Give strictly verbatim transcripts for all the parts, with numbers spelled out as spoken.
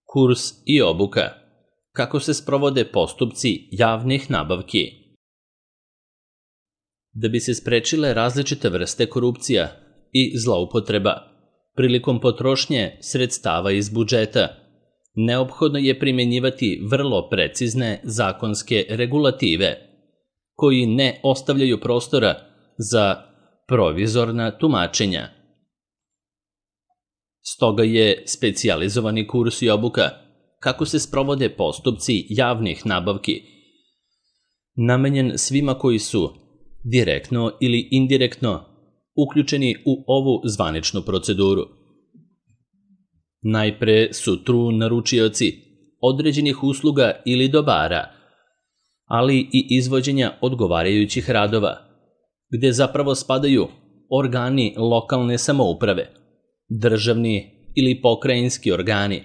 Kurs i obuka. Kako se sprovode postupci javnih nabavki? Da bi se sprečile različite vrste korupcija i zloupotreba prilikom potrošnje sredstava iz budžeta, neophodno je primjenjivati vrlo precizne zakonske regulative, koji ne ostavljaju prostora za provizorna tumačenja. Stoga je specijalizovani kurs i obuka kako se sprovode postupci javnih nabavki namenjen svima koji su direktno ili indirektno uključeni u ovu zvaničnu proceduru. Najpre su tu naručioci određenih usluga ili dobara, ali i izvođenja odgovarajućih radova, gde zapravo spadaju organi lokalne samouprave, državni ili pokrajinski organi,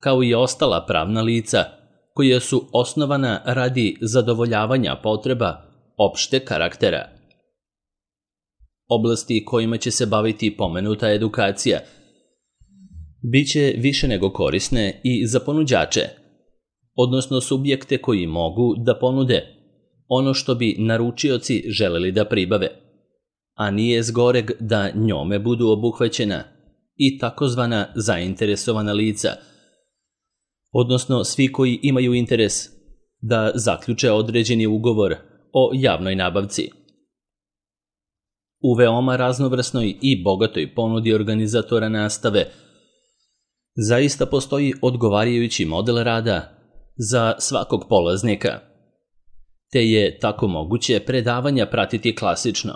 kao i ostala pravna lica koja su osnovana radi zadovoljavanja potreba opšte karaktera. Oblasti kojima će se baviti pomenuta edukacija biće više nego korisne i za ponuđače, odnosno subjekte koji mogu da ponude ono što bi naručioci želeli da pribave, a nije zgoreg da njome budu obuhvaćena i takozvana zainteresovana lica, odnosno svi koji imaju interes da zaključe određeni ugovor o javnoj nabavci. U veoma raznovrsnoj i bogatoj ponudi organizatora nastave zaista postoji odgovarajući model rada za svakog polaznika, te je tako moguće predavanja pratiti klasično,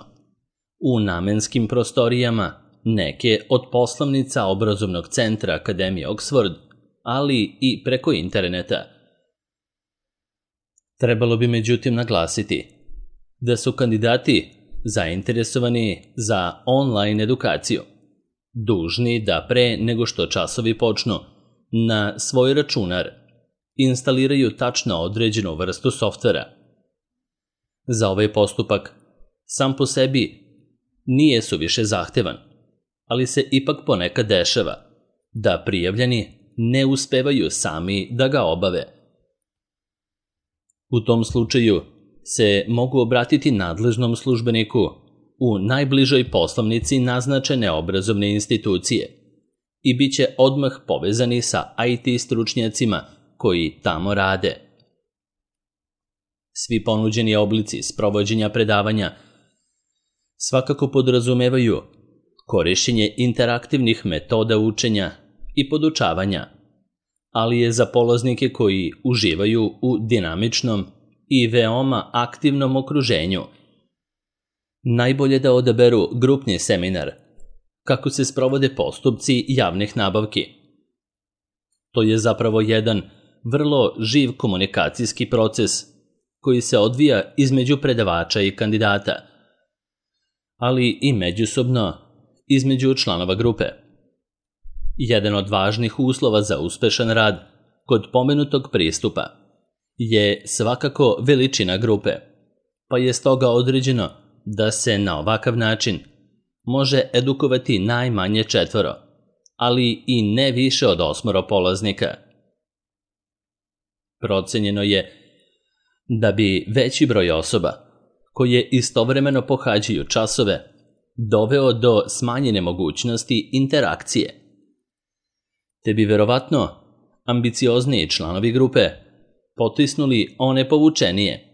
u namenskim prostorijama neke od poslovnica obrazovnog centra Akademije Oxford, ali i preko interneta. Trebalo bi međutim naglasiti da su kandidati zainteresovani za online edukaciju dužni da pre nego što časovi počnu na svoj računar instaliraju tačno određenu vrstu softvera. Za ovaj postupak sam po sebi nije suviše zahtevan, ali se ipak ponekad dešava da prijavljeni ne uspevaju sami da ga obave. U tom slučaju se mogu obratiti nadležnom službeniku u najbližoj poslovnici naznačene obrazovne institucije i bit će odmah povezani sa I T stručnjacima koji tamo rade. Svi ponuđeni oblici sprovođenja predavanja svakako podrazumevaju korišćenje interaktivnih metoda učenja i podučavanja, ali je za polaznike koji uživaju u dinamičnom i veoma aktivnom okruženju najbolje da odaberu grupni seminar kako se sprovode postupci javnih nabavki. To je zapravo jedan vrlo živ komunikacijski proces koji se odvija između predavača i kandidata, ali i međusobno između članova grupe. Jedan od važnih uslova za uspešan rad kod pomenutog pristupa je svakako veličina grupe, pa je stoga određeno da se na ovakav način može edukovati najmanje četvoro, ali i ne više od osmoro polaznika. Procenjeno je da bi veći broj osoba koje istovremeno pohađaju časove doveo do smanjene mogućnosti interakcije, te bi verovatno ambiciozniji članovi grupe potisnuli one povučenije,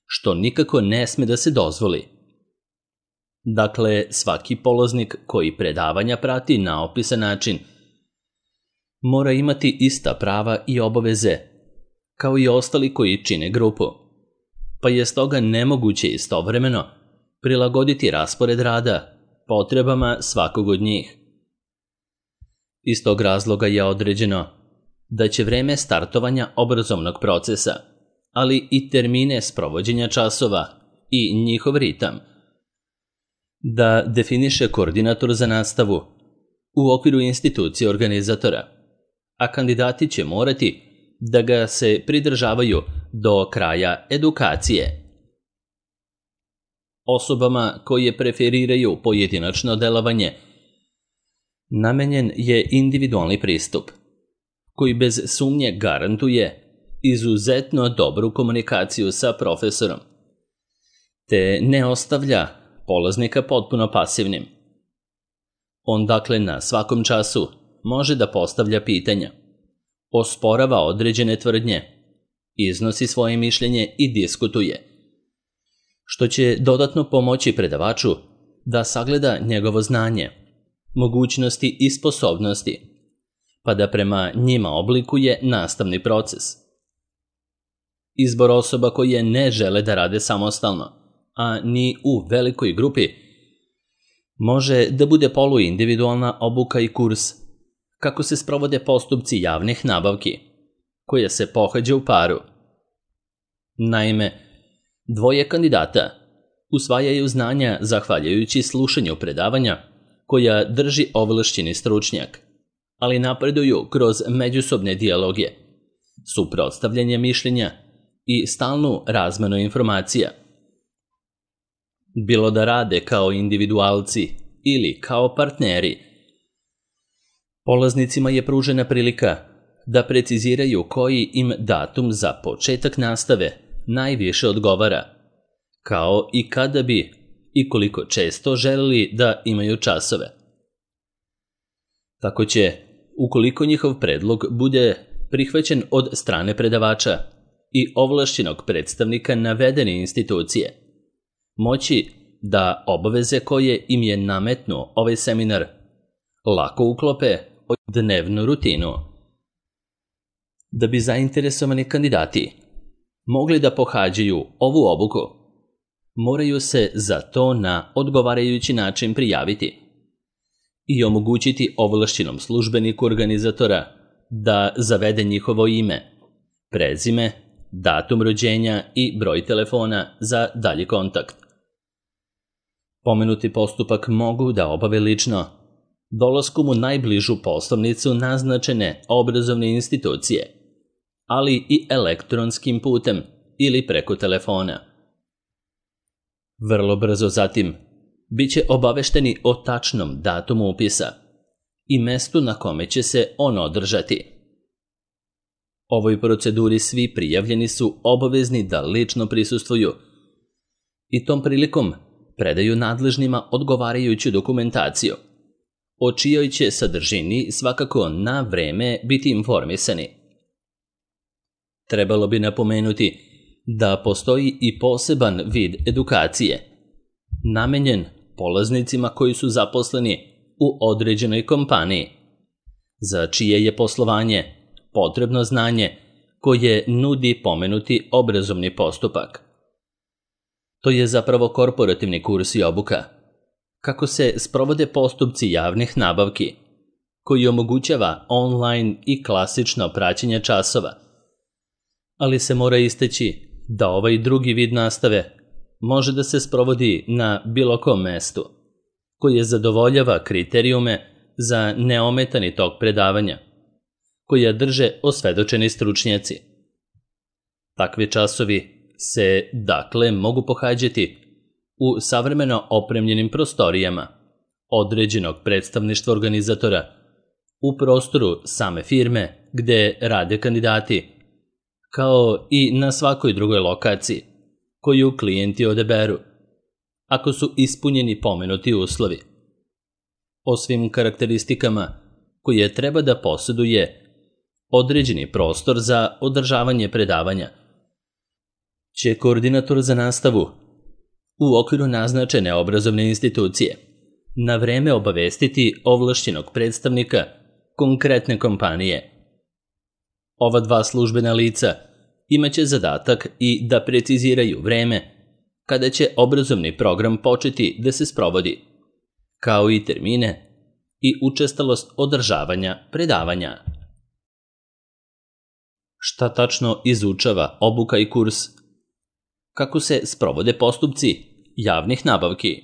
što nikako ne sme da se dozvoli. Dakle, svaki polaznik koji predavanja prati na opisan način mora imati ista prava i obaveze kao i ostali koji čine grupu, pa je stoga nemoguće istovremeno prilagoditi raspored rada potrebama svakog od njih. Iz tog razloga je određeno da će vreme startovanja obrazovnog procesa, ali i termine sprovođenja časova i njihov ritam, da definiše koordinator za nastavu u okviru institucije organizatora, a kandidati će morati da ga se pridržavaju do kraja edukacije. Osobama koje preferiraju pojedinačno delovanje namenjen je individualni pristup, koji bez sumnje garantuje izuzetno dobru komunikaciju sa profesorom, te ne ostavlja polaznika potpuno pasivnim. On dakle na svakom času može da postavlja pitanja, osporava određene tvrdnje, iznosi svoje mišljenje i diskutuje, što će dodatno pomoći predavaču da sagleda njegovo znanje, mogućnosti i sposobnosti, pa da prema njima oblikuje nastavni proces. Izbor osoba koje ne žele da rade samostalno, a ni u velikoj grupi, može da bude poluindividualna obuka i kurs kako se sprovode postupci javnih nabavki, koje se pohađa u paru. Naime, dvoje kandidata usvajaju znanja zahvaljujući slušanju predavanja koja drži ovlašćeni stručnjak, ali napreduju kroz međusobne dijaloge, suprotstavljanje mišljenja i stalnu razmenu informacija. Bilo da rade kao individualci ili kao partneri, polaznicima je pružena prilika da preciziraju koji im datum za početak nastave najviše odgovara, kao i kada bi i koliko često želeli da imaju časove. Tako će, ukoliko njihov predlog bude prihvaćen od strane predavača i ovlašćenog predstavnika navedene institucije, moći da obaveze koje im je nametnuo ovaj seminar lako uklope u dnevnu rutinu. Da bi zainteresovani kandidati mogli da pohađaju ovu obuku, moraju se za to na odgovarajući način prijaviti i omogućiti ovlašćenom službeniku organizatora da zavede njihovo ime, prezime, datum rođenja i broj telefona za dalji kontakt. Pomenuti postupak mogu da obave lično, dolaskom u najbližu poslovnicu naznačene obrazovne institucije, ali i elektronskim putem ili preko telefona. Vrlo brzo zatim biće obavešteni o tačnom datumu upisa i mestu na kome će se on održati. Ovoj proceduri svi prijavljeni su obavezni da lično prisustvuju i tom prilikom predaju nadležnima odgovarajuću dokumentaciju, o čijoj će sadržini svakako na vreme biti informisani. Trebalo bi napomenuti da postoji i poseban vid edukacije, namenjen polaznicima koji su zaposleni u određenoj kompaniji, za čije je poslovanje potrebno znanje koje nudi pomenuti obrazovni postupak. To je zapravo korporativni kurs i obuka, kako se sprovode postupci javnih nabavki, koji omogućava online i klasično praćenje časova, ali se mora istaći da ovaj drugi vid nastave može da se sprovodi na bilo kom mestu, koje zadovoljava kriterijume za neometani tok predavanja, koja drže osvedočeni stručnjaci. Takvi časovi se, dakle, mogu pohađati u savremeno opremljenim prostorijama određenog predstavništva organizatora, u prostoru same firme gde rade kandidati, kao i na svakoj drugoj lokaciji koju klijenti odaberu, ako su ispunjeni pomenuti uslovi. O svim karakteristikama koje treba da posjeduje određeni prostor za održavanje predavanja će koordinator za nastavu u okviru naznačene obrazovne institucije na vreme obavestiti ovlašćenog predstavnika konkretne kompanije. Ova dva službena lica imaće zadatak i da preciziraju vreme kada će obrazovni program početi da se sprovodi, kao i termine i učestalost održavanja predavanja. Šta tačno izučava obuka i kurs? Kako se sprovode postupci javnih nabavki?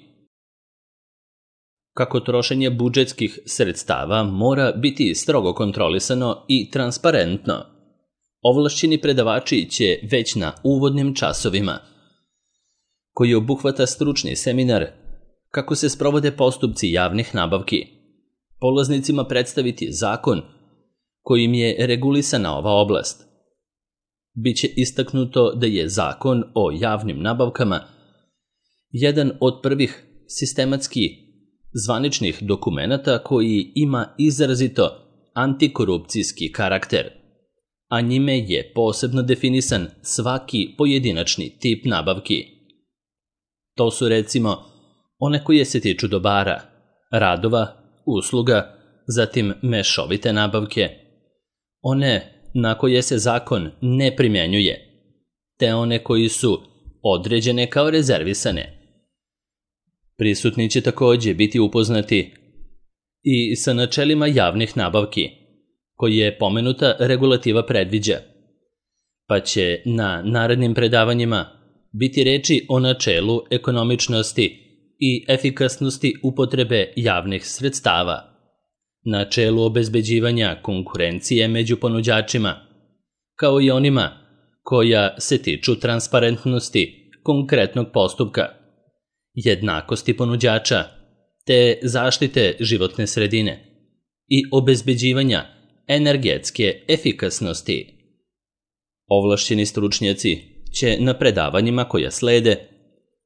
Kako trošenje budžetskih sredstava mora biti strogo kontrolisano i transparentno, ovlašćeni predavači će već na uvodnim časovima, koji obuhvata stručni seminar kako se sprovode postupci javnih nabavki, polaznicima predstaviti zakon kojim je regulisana ova oblast. Biće istaknuto da je Zakon o javnim nabavkama jedan od prvih sistematski zvaničnih dokumenata koji ima izrazito antikorupcijski karakter, a njime je posebno definisan svaki pojedinačni tip nabavki. To su recimo one koje se tiču dobara, radova, usluga, zatim mešovite nabavke, one na koje se zakon ne primjenjuje, te one koji su određene kao rezervisane. Prisutni će također biti upoznati i sa načelima javnih nabavki, koje pomenuta regulativa predviđa, pa će na narednim predavanjima biti reči o načelu ekonomičnosti i efikasnosti upotrebe javnih sredstava, načelu obezbeđivanja konkurencije među ponuđačima, kao i onima koja se tiču transparentnosti konkretnog postupka, jednakosti ponuđača, te zaštite životne sredine i obezbeđivanja energetske efikasnosti. Ovlašćeni stručnjaci će na predavanjima koja slede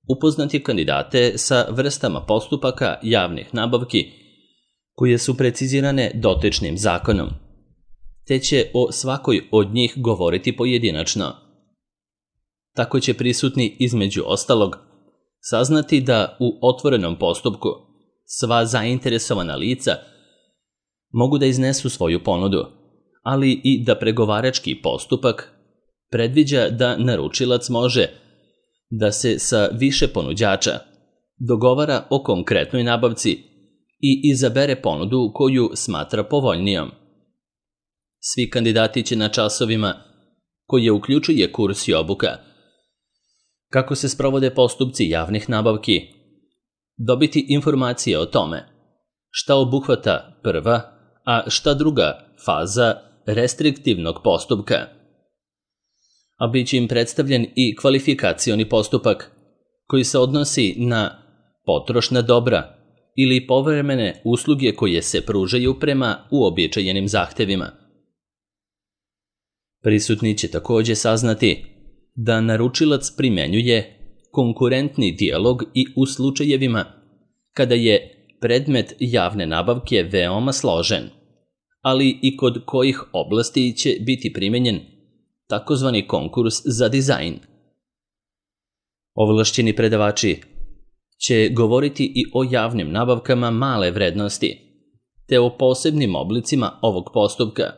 upoznati kandidate sa vrstama postupaka javnih nabavki koje su precizirane dotičnim zakonom, te će o svakoj od njih govoriti pojedinačno. Tako će prisutni između ostalog saznati da u otvorenom postupku sva zainteresovana lica mogu da iznesu svoju ponudu, ali i da pregovarački postupak predviđa da naručilac može da se sa više ponuđača dogovara o konkretnoj nabavci i izabere ponudu koju smatra povoljnijom. Svi kandidati će na časovima, koje uključuje kurs i obuka, kako se sprovode postupci javnih nabavki, dobiti informacije o tome šta obuhvata prva, a šta druga faza restriktivnog postupka. A bit će im predstavljen i kvalifikacioni postupak koji se odnosi na potrošna dobra ili povremene usluge koje se pružaju prema uobičajenim zahtevima. Prisutni će također saznati da naručilac primjenjuje konkurentni dijalog i u slučajevima kada je predmet javne nabavke veoma složen, ali i kod kojih oblasti će biti primenjen takozvani konkurs za dizajn. Ovlašćeni predavači će govoriti i o javnim nabavkama male vrednosti, te o posebnim oblicima ovog postupka,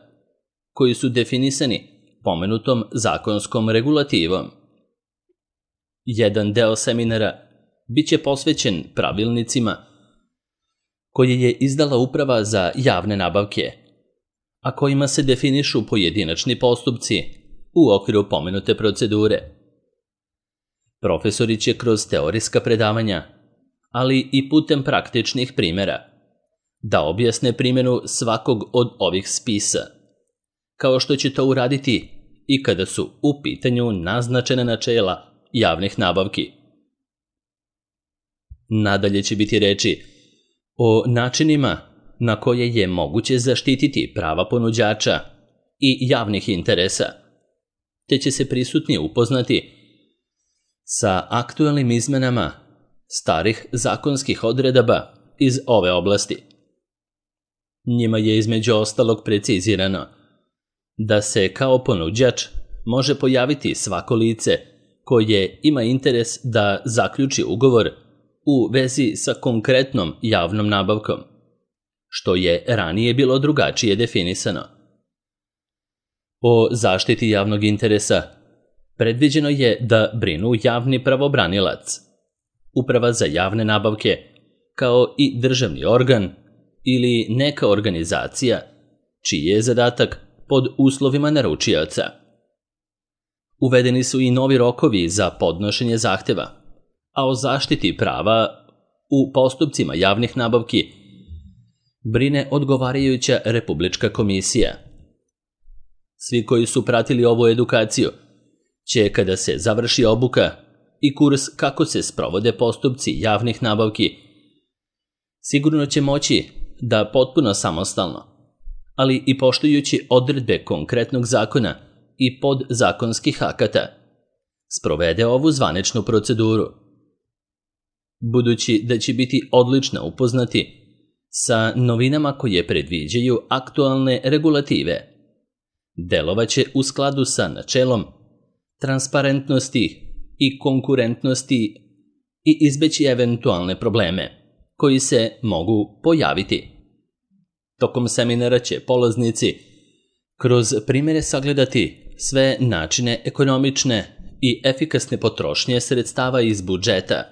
koji su definisani pomenutom zakonskom regulativom. Jedan deo seminara bit će posvećen pravilnicima koje je izdala Uprava za javne nabavke, a kojima se definišu pojedinačni postupci u okviru pomenute procedure. Profesori će kroz teorijska predavanja, ali i putem praktičnih primjera, da objasne primjenu svakog od ovih spisa, kao što će to uraditi i kada su u pitanju naznačena načela javnih nabavki. Nadalje će biti reči o načinima na koje je moguće zaštititi prava ponuđača i javnih interesa, te će se prisutni upoznati sa aktualnim izmenama starih zakonskih odredaba iz ove oblasti. Njima je između ostalog precizirano da se kao ponuđač može pojaviti svako lice koje ima interes da zaključi ugovor u vezi sa konkretnom javnom nabavkom, što je ranije bilo drugačije definisano. O zaštiti javnog interesa predviđeno je da brinu javni pravobranilac, Uprava za javne nabavke, kao i državni organ ili neka organizacija čiji je zadatak pod uslovima naručioca. Uvedeni su i novi rokovi za podnošenje zahteva, a o zaštiti prava u postupcima javnih nabavki brine odgovarajuća Republička komisija. Svi koji su pratili ovu edukaciju će, kada se završi obuka i kurs kako se sprovode postupci javnih nabavki, sigurno će moći da potpuno samostalno, ali i poštujući odredbe konkretnog zakona i podzakonskih akata, sprovede ovu zvaničnu proceduru. Budući da će biti odlično upoznati sa novinama koje predviđaju aktualne regulative, delovaće u skladu sa načelom transparentnosti i konkurentnosti i izbeći eventualne probleme koji se mogu pojaviti. Tokom seminara će polaznici kroz primjere sagledati sve načine ekonomične i efikasne potrošnje sredstava iz budžeta,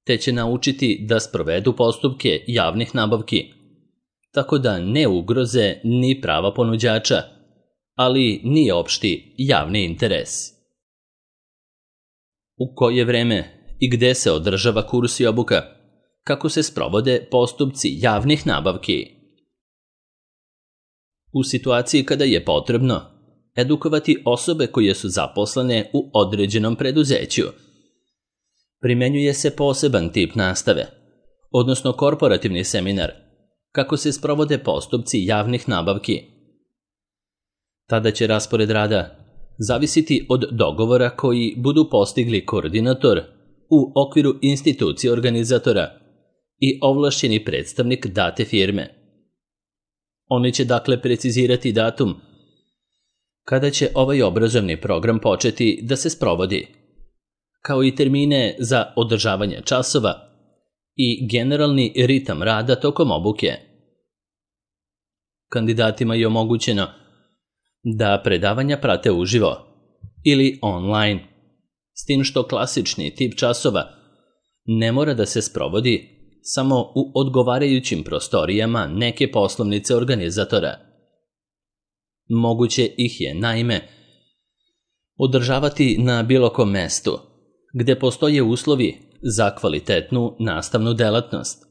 te će naučiti da sprovedu postupke javnih nabavki, tako da ne ugroze ni prava ponuđača, ali ni opšti javni interes. U koje vreme i gde se održava kurs i obuka, kako se sprovode postupci javnih nabavki. U situaciji kada je potrebno edukovati osobe koje su zaposlene u određenom preduzeću, primenjuje se poseban tip nastave, odnosno korporativni seminar, kako se sprovode postupci javnih nabavki. Tada će raspored rada zavisiti od dogovora koji budu postigli koordinator u okviru institucije organizatora i ovlašćeni predstavnik date firme. Oni će dakle precizirati datum kada će ovaj obrazovni program početi da se sprovodi, kao i termine za održavanje časova i generalni ritam rada tokom obuke. Kandidatima je omogućeno da predavanja prate uživo ili online, s tim što klasični tip časova ne mora da se sprovodi samo u odgovarajućim prostorijama neke poslovnice organizatora. Moguće ih je, naime, održavati na bilo kom mestu, gde postoje uslovi za kvalitetnu nastavnu delatnost,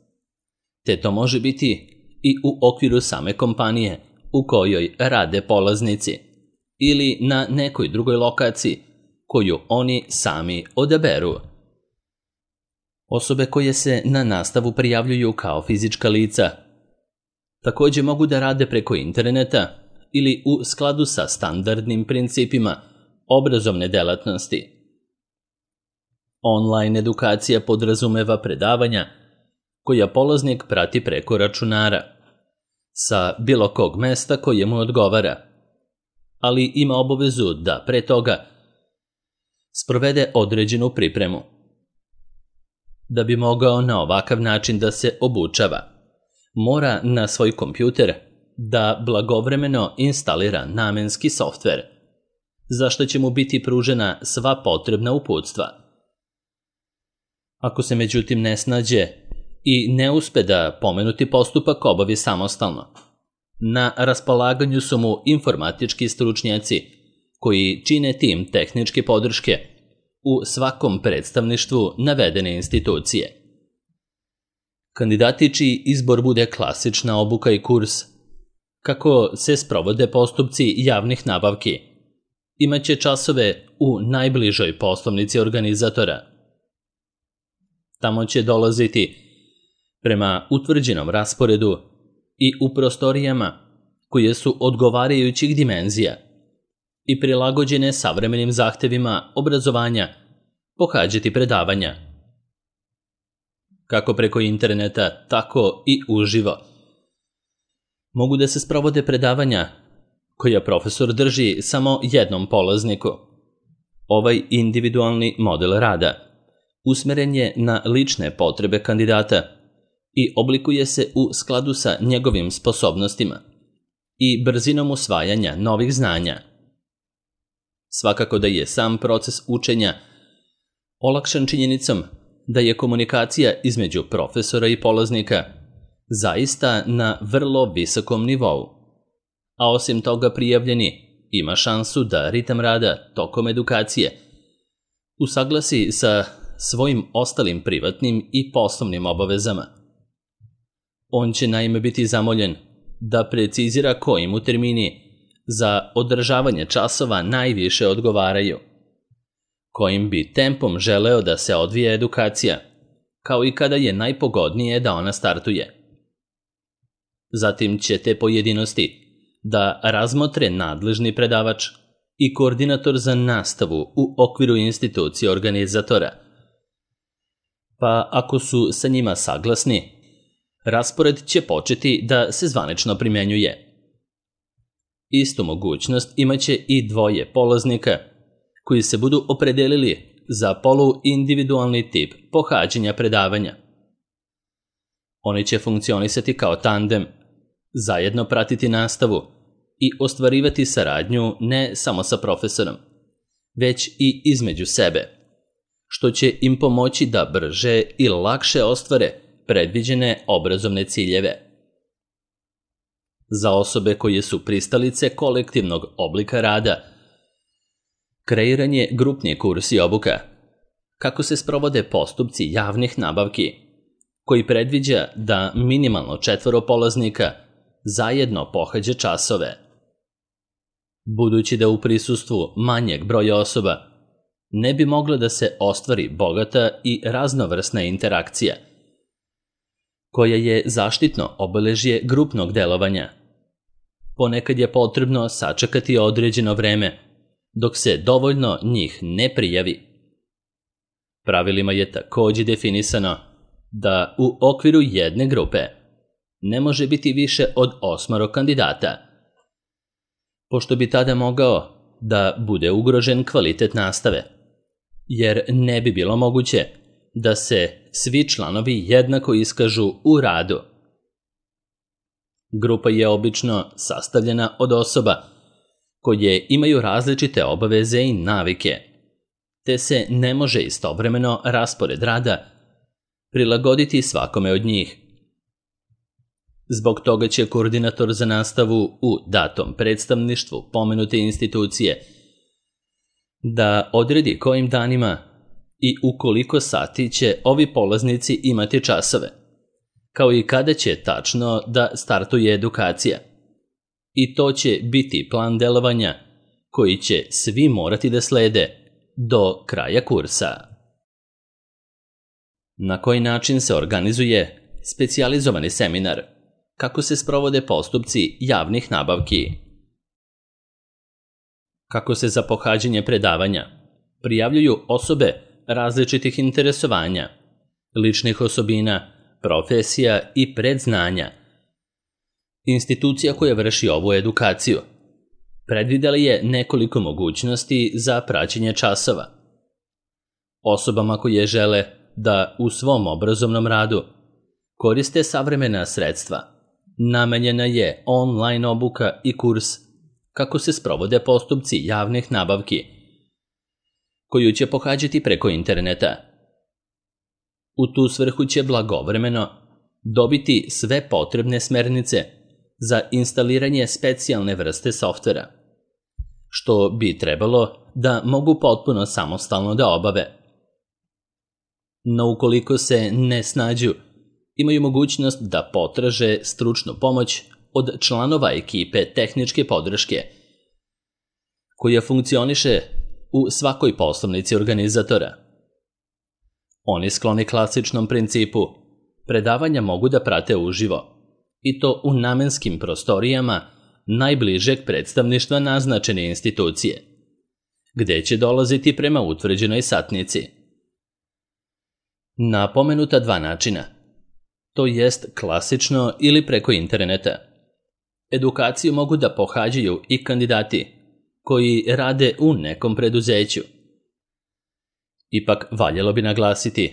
te to može biti i u okviru same kompanije u kojoj rade polaznici ili na nekoj drugoj lokaciji koju oni sami odaberu. Osobe koje se na nastavu prijavljuju kao fizička lica takođe mogu da rade preko interneta ili u skladu sa standardnim principima obrazovne delatnosti. Online edukacija podrazumeva predavanja koja polaznik prati preko računara sa bilo kog mesta koje mu odgovara, ali ima obavezu da pre toga sprovede određenu pripremu. Da bi mogao na ovakav način da se obučava, mora na svoj kompjuter da blagovremeno instalira namenski softver, za što će mu biti pružena sva potrebna uputstva. Ako se međutim ne snađe i ne uspe da pomenuti postupak obavi samostalno, na raspolaganju su mu informatički stručnjaci koji čine tim tehničke podrške u svakom predstavništvu navedene institucije. Kandidati čiji izbor bude klasična obuka i kurs, kako se sprovode postupci javnih nabavki, imaće časove u najbližoj poslovnici organizatora. Tamo će dolaziti prema utvrđenom rasporedu i u prostorijama koje su odgovarajućih dimenzija i prilagođene savremenim zahtevima obrazovanja pohađati predavanja. Kako preko interneta, tako i uživo. Mogu da se sprovode predavanja koja profesor drži samo jednom polazniku. Ovaj individualni model rada usmeren je na lične potrebe kandidata i oblikuje se u skladu sa njegovim sposobnostima i brzinom usvajanja novih znanja. Svakako da je sam proces učenja olakšan činjenicom da je komunikacija između profesora i polaznika zaista na vrlo visokom nivou, a osim toga prijavljeni ima šansu da ritam rada tokom edukacije usaglasi sa svojim ostalim privatnim i poslovnim obavezama. On će naime biti zamoljen da precizira koji mu termini za održavanje časova najviše odgovaraju, kojim bi tempom želeo da se odvije edukacija, kao i kada je najpogodnije da ona startuje. Zatim će te pojedinosti da razmotre nadležni predavač i koordinator za nastavu u okviru institucije organizatora. Pa ako su sa njima saglasni, raspored će početi da se zvanično primenjuje. Istu mogućnost imaće i dvoje polaznika koji se budu opredelili za poluindividualni tip pohađanja predavanja. Oni će funkcionisati kao tandem, zajedno pratiti nastavu i ostvarivati saradnju ne samo sa profesorom, već i između sebe, što će im pomoći da brže i lakše ostvare predviđene obrazovne ciljeve. Za osobe koje su pristalice kolektivnog oblika rada, kreiran je grupni kurs i obuka, kako se sprovode postupci javnih nabavki, koji predviđa da minimalno četvoro polaznika zajedno pohađa časove. Budući da u prisustvu manjeg broja osoba ne bi mogla da se ostvari bogata i raznovrsna interakcija, koja je zaštitno obeležje grupnog delovanja. Ponekad je potrebno sačekati određeno vreme, dok se dovoljno njih ne prijavi. Pravilima je također definisano da u okviru jedne grupe ne može biti više od osmoro kandidata, pošto bi tada mogao da bude ugrožen kvalitet nastave, jer ne bi bilo moguće da se svi članovi jednako iskažu u radu. Grupa je obično sastavljena od osoba koje imaju različite obaveze i navike, te se ne može istovremeno raspored rada prilagoditi svakome od njih. Zbog toga će koordinator za nastavu u datom predstavništvu pomenute institucije da odredi kojim danima i u koliko sati će ovi polaznici imati časove, kao i kada će tačno da startuje edukacija. I to će biti plan delovanja koji će svi morati da slede do kraja kursa. Na koji način se organizuje specijalizovani seminar? Kako se sprovode postupci javnih nabavki? Kako se za pohađanje predavanja prijavljuju osobe različitih interesovanja, ličnih osobina, profesija i predznanja? Institucija koja vrši ovu edukaciju predvidela je nekoliko mogućnosti za praćenje časova. Osobama koje žele da u svom obrazovnom radu koriste savremena sredstva, namenjena je online obuka i kurs kako se sprovode postupci javnih nabavki, koju će pohađati preko interneta. U tu svrhu će blagovremeno dobiti sve potrebne smernice za instaliranje specijalne vrste softvera, što bi trebalo da mogu potpuno samostalno da obave. No ukoliko se ne snađu, imaju mogućnost da potraže stručnu pomoć od članova ekipe tehničke podrške, koja funkcioniše u svakoj poslovnici organizatora. Oni skloni klasičnom principu predavanja mogu da prate uživo, i to u namenskim prostorijama najbližeg predstavništva naznačene institucije, gde će dolaziti prema utvrđenoj satnici. Na pomenuta dva načina, to jest klasično ili preko interneta, edukaciju mogu da pohađaju i kandidati koji rade u nekom preduzeću. Ipak valjalo bi naglasiti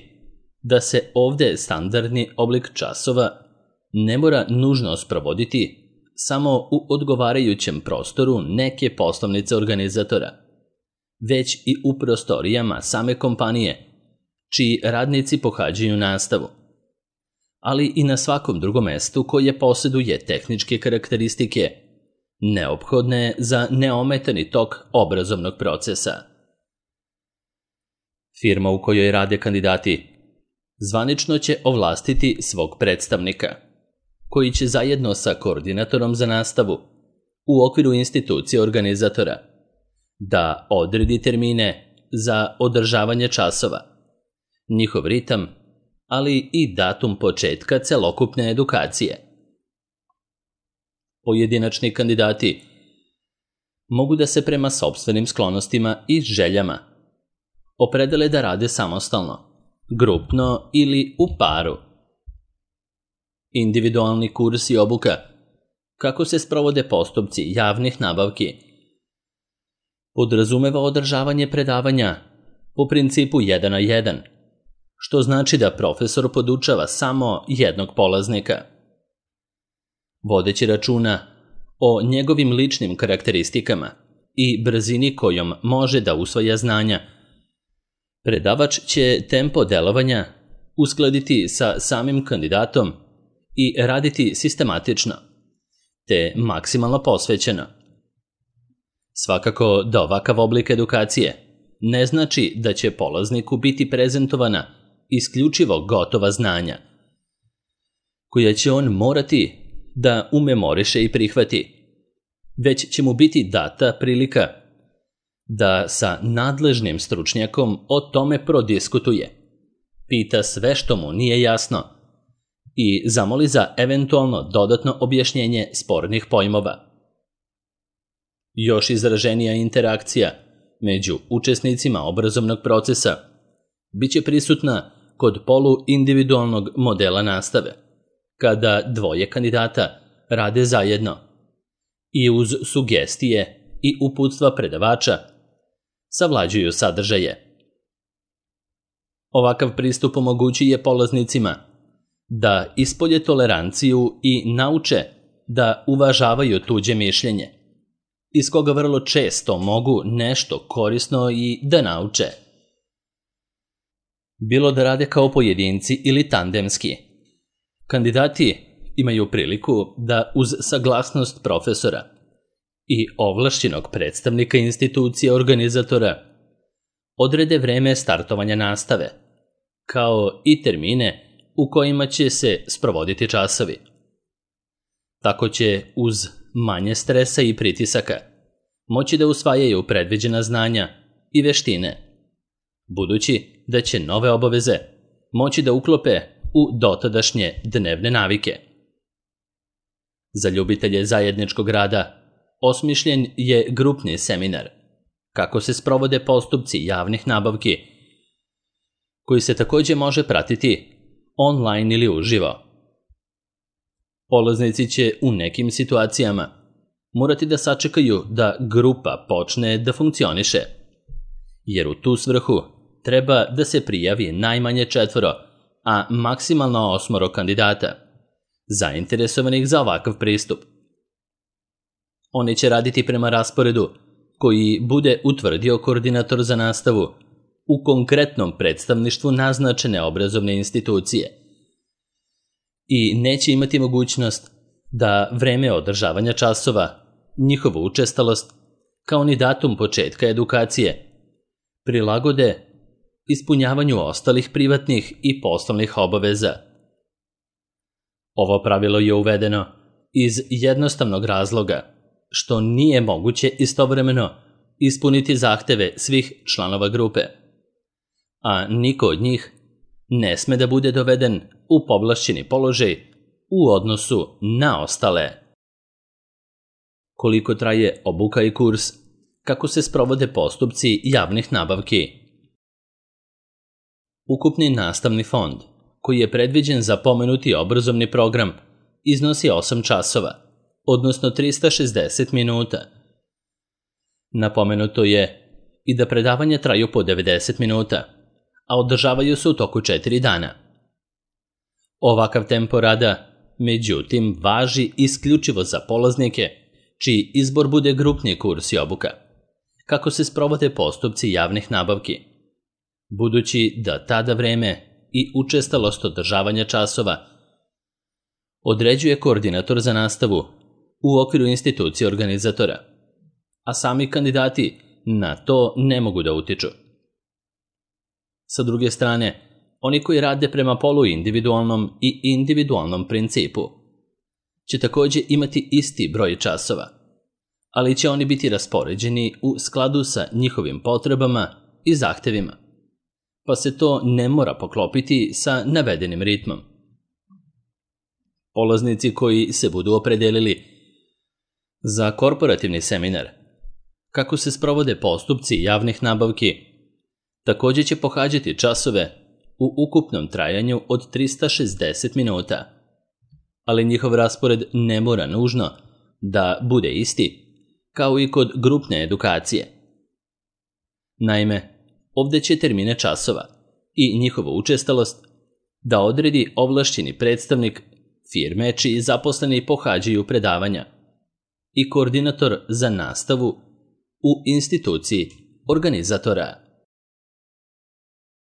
da se ovde standardni oblik časova ne mora nužno sprovoditi samo u odgovarajućem prostoru neke poslovnice organizatora, već i u prostorijama same kompanije, čiji radnici pohađaju nastavu, ali i na svakom drugom mestu koje posjeduje tehničke karakteristike neophodne za neometani tok obrazovnog procesa. Firma u kojoj rade kandidati zvanično će ovlastiti svog predstavnika, koji će zajedno sa koordinatorom za nastavu u okviru institucije organizatora da odredi termine za održavanje časova, njihov ritam, ali i datum početka celokupne edukacije. Pojedinačni kandidati mogu da se prema sopstvenim sklonostima i željama opredele da rade samostalno, grupno ili u paru. Individualni kurs i obuka. Kako se sprovode postupci javnih nabavki? Podrazumeva održavanje predavanja po principu jedan na jedan, što znači da profesor podučava samo jednog polaznika. Vodeći računa o njegovim ličnim karakteristikama i brzini kojom može da usvaja znanja, predavač će tempo delovanja uskladiti sa samim kandidatom i raditi sistematično, te maksimalno posvećeno. Svakako da ovakav oblik edukacije ne znači da će polazniku biti prezentovana isključivo gotova znanja, koja će on morati da umemoriše i prihvati, već će mu biti data prilika da sa nadležnim stručnjakom o tome prodiskutuje, pita sve što mu nije jasno i zamoli za eventualno dodatno objašnjenje spornih pojmova. Još izraženija interakcija među učesnicima obrazovnog procesa biće prisutna kod poluindividualnog modela nastave, kada dvoje kandidata rade zajedno i uz sugestije i uputstva predavača savlađuju sadržaje. Ovakav pristup omogućuje polaznicima da ispolje toleranciju i nauče da uvažavaju tuđe mišljenje, iz koga vrlo često mogu nešto korisno i da nauče. Bilo da rade kao pojedinci ili tandemski, kandidati imaju priliku da uz saglasnost profesora i ovlašćenog predstavnika institucije organizatora odrede vreme startovanja nastave, kao i termine u kojima će se sprovoditi časovi. Tako će uz manje stresa i pritisaka moći da usvajaju predviđena znanja i veštine, budući da će nove obaveze moći da uklope u dotadašnje dnevne navike. Za ljubitelje zajedničkog rada osmišljen je grupni seminar kako se sprovode postupci javnih nabavki, koji se takođe može pratiti online ili uživo. Polaznici će u nekim situacijama morati da sačekaju da grupa počne da funkcioniše, jer u tu svrhu treba da se prijavi najmanje četvoro, a maksimalno osmoro kandidata, zainteresovanih za ovakav pristup. Oni će raditi prema rasporedu koji bude utvrdio koordinator za nastavu u konkretnom predstavništvu naznačene obrazovne institucije i neće imati mogućnost da vreme održavanja časova, njihovu učestalost, kao ni datum početka edukacije, prilagode ispunjavanju ostalih privatnih i poslovnih obaveza. Ovo pravilo je uvedeno iz jednostavnog razloga što nije moguće istovremeno ispuniti zahteve svih članova grupe, a niko od njih ne sme da bude doveden u povlašćeni položaj u odnosu na ostale. Koliko traje obuka i kurs? Kako se sprovode postupci javnih nabavki? Ukupni nastavni fond, koji je predviđen za pomenuti obrazovni program, iznosi osam časova, odnosno trista šezdeset minuta. Napomenuto je i da predavanja traju po devedeset minuta, a održavaju se u toku četiri dana. Ovakav tempo rada, međutim, važi isključivo za polaznike čiji izbor bude grupni kurs i obuka, kako se sprovode postupci javnih nabavki, budući da tada vreme i učestalost održavanja časova određuje koordinator za nastavu u okviru institucije organizatora, a sami kandidati na to ne mogu da utiču. Sa druge strane, oni koji rade prema poluindividualnom i individualnom principu će takođe imati isti broj časova, ali će oni biti raspoređeni u skladu sa njihovim potrebama i zahtevima, pa se to ne mora poklopiti sa navedenim ritmom. Polaznici koji se budu opredelili Za korporativni seminar, kako se sprovode postupci javnih nabavki, također će pohađati časove u ukupnom trajanju od trista šezdeset minuta, ali njihov raspored ne mora nužno da bude isti kao i kod grupne edukacije. Naime, ovdje će termine časova i njihovu učestalost da odredi ovlašćeni predstavnik firme čiji zaposleni pohađaju predavanja i koordinator za nastavu u instituciji organizatora.